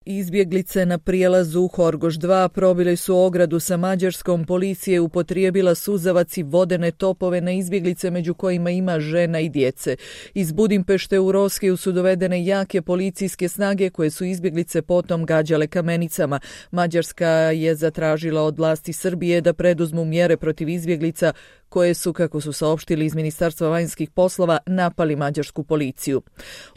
Izbjeglice na prijelazu Horgoš 2 probile su ogradu sa Mađarskom. Policija je upotrijebila suzavac i vodene topove na izbjeglice, među kojima ima žena i djece. Iz Budimpešte u Roskiju su dovedene jake policijske snage koje su izbjeglice potom gađale kamenicama. Mađarska je zatražila od vlasti Srbije da preduzmu mjere protiv izbjeglica koje su, kako su saopštili iz Ministarstva vanjskih poslova, napali mađarsku policiju.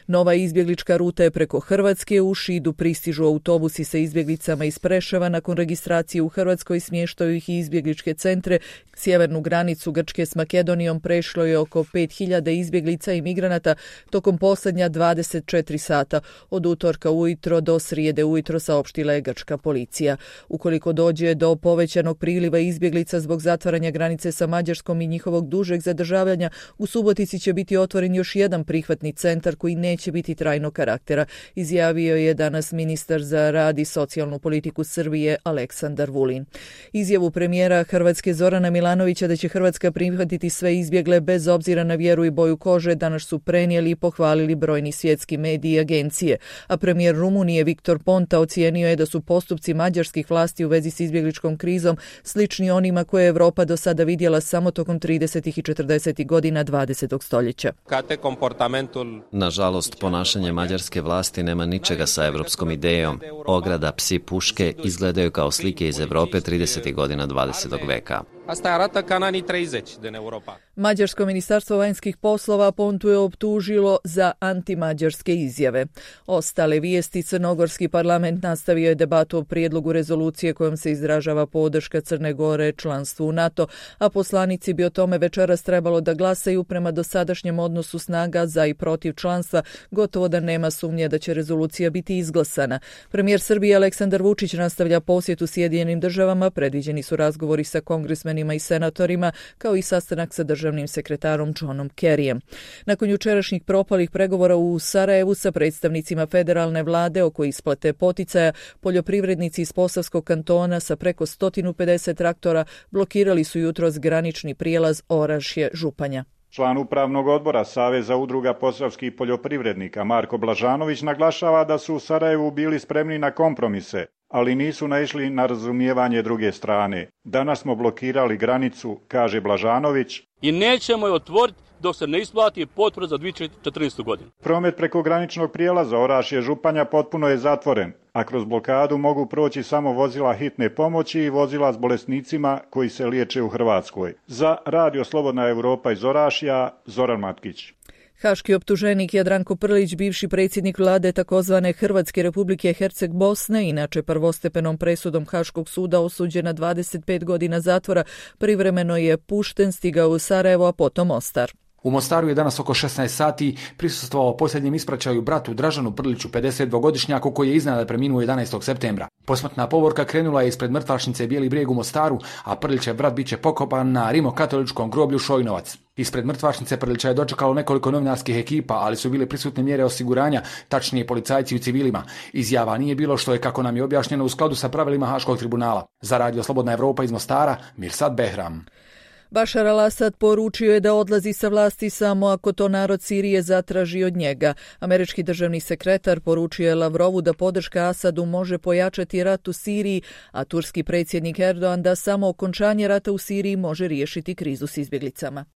Nova izbjeglička ruta je preko Hrvatske. U Šidu pristižu autobusi sa izbjeglicama iz Preševa. Nakon registracije u Hrvatskoj smještaju ih i izbjegličke centre. Sjevernu granicu Grčke s Makedonijom prešlo je oko 5000 izbjeglica i migranata tokom posljednja 24 sata. Od utorka ujutro do srijede ujutro, saopštila je grčka policija. Ukoliko dođe do povećanog priliva izbjeglica zbog zatvaranja granice sa Mađarskom i njihovog dužeg zadržavanja, u Subotici će biti otvoren još jedan prihvatni centar koji neće biti trajnog karaktera, izjavio je danas ministar za rad i socijalnu politiku Srbije Aleksandar Vulin. Izjavu premijera Hrvatske Zorana Milanovića da će Hrvatska prihvatiti sve izbjegle bez obzira na vjeru i boju kože danas su prenijeli i pohvalili brojni svjetski mediji i agencije, a premijer Rumunije Viktor Ponta ocijenio je da su postupci mađarskih vlasti u vezi s izbjegličkom krizom slični onima koje je Europa do sada vidjela samo tokom 30. i 40. godina 20. stoljeća. Nažalost, ponašanje mađarske vlasti nema ničega sa evropskom idejom. Ograda, psi, puške izgledaju kao slike iz Europe 30. godina 20. veka. Mađarsko ministarstvo vanjskih poslova Pontu je optužilo za antimađarske izjave. Ostale vijesti: Crnogorski parlament nastavio je debatu o prijedlogu rezolucije kojom se izražava podrška Crne Gore članstvu u NATO, a poslanici bi o tome večeras trebalo da glasaju. Prema dosadašnjem odnosu snaga za i protiv članstva gotovo da nema sumnje da će rezolucija biti izglasana. Premijer Srbije Aleksandar Vučić nastavlja posjetu Sjedinjenim državama. Predviđeni su razgovori sa kongresmenima i senatorima, kao i sastanak sa državnim sekretarom Johnom Kerryjem. Nakon jučerašnjih propalih pregovora u Sarajevu sa predstavnicima federalne vlade oko isplate poticaja, poljoprivrednici iz Posavskog kantona sa preko 150 traktora blokirali su jutros granični prijelaz Orašje-Županja. Član upravnog odbora Saveza udruga posavskih poljoprivrednika Marko Blažanović naglašava da su u Sarajevu bili spremni na kompromise, ali nisu naišli na razumijevanje druge strane. Danas smo blokirali granicu, kaže Blažanović, i nećemo je otvoriti dok se ne isplati potpora za 2014. godinu. Promet preko graničnog prijelaza Orašje-Županja potpuno je zatvoren, a kroz blokadu mogu proći samo vozila hitne pomoći i vozila s bolesnicima koji se liječe u Hrvatskoj. Za Radio Slobodna Europa iz Orašja, Zoran Matkić. Haški optuženik Jadranko Prlić, bivši predsjednik vlade takozvane Hrvatske Republike Herceg-Bosne, inače prvostepenom presudom Haškog suda osuđen na 25 godina zatvora, privremeno je pušten, stigao u Sarajevo, a potom Mostar. U Mostaru je danas oko 16 sati prisustvovao posljednjem ispraćaju bratu Dražanu Prliću, 52-godišnjaku, koji je iznenada preminuo 11. septembra. Posmrtna povorka krenula je ispred mrtvačnice Bijeli brijeg u Mostaru, a Prlićev brat biće pokopan na rimokatoličkom groblju Šojnovac. Ispred mrtvačnice Prlića je dočekalo nekoliko novinarskih ekipa, ali su bile prisutne mjere osiguranja, tačnije policajci u civilima. Izjava nije bilo, što je, kako nam je objašnjeno, u skladu sa pravilima Haškog tribunala. Za Radio Slobodna Europa iz Mostara, Mirsad Behram. Bašar al-Asad poručio je da odlazi sa vlasti samo ako to narod Sirije zatraži od njega. Američki državni sekretar poručio je Lavrovu da podrška Asadu može pojačati rat u Siriji, a turski predsjednik Erdogan da samo okončanje rata u Siriji može riješiti krizu s izbjeglicama.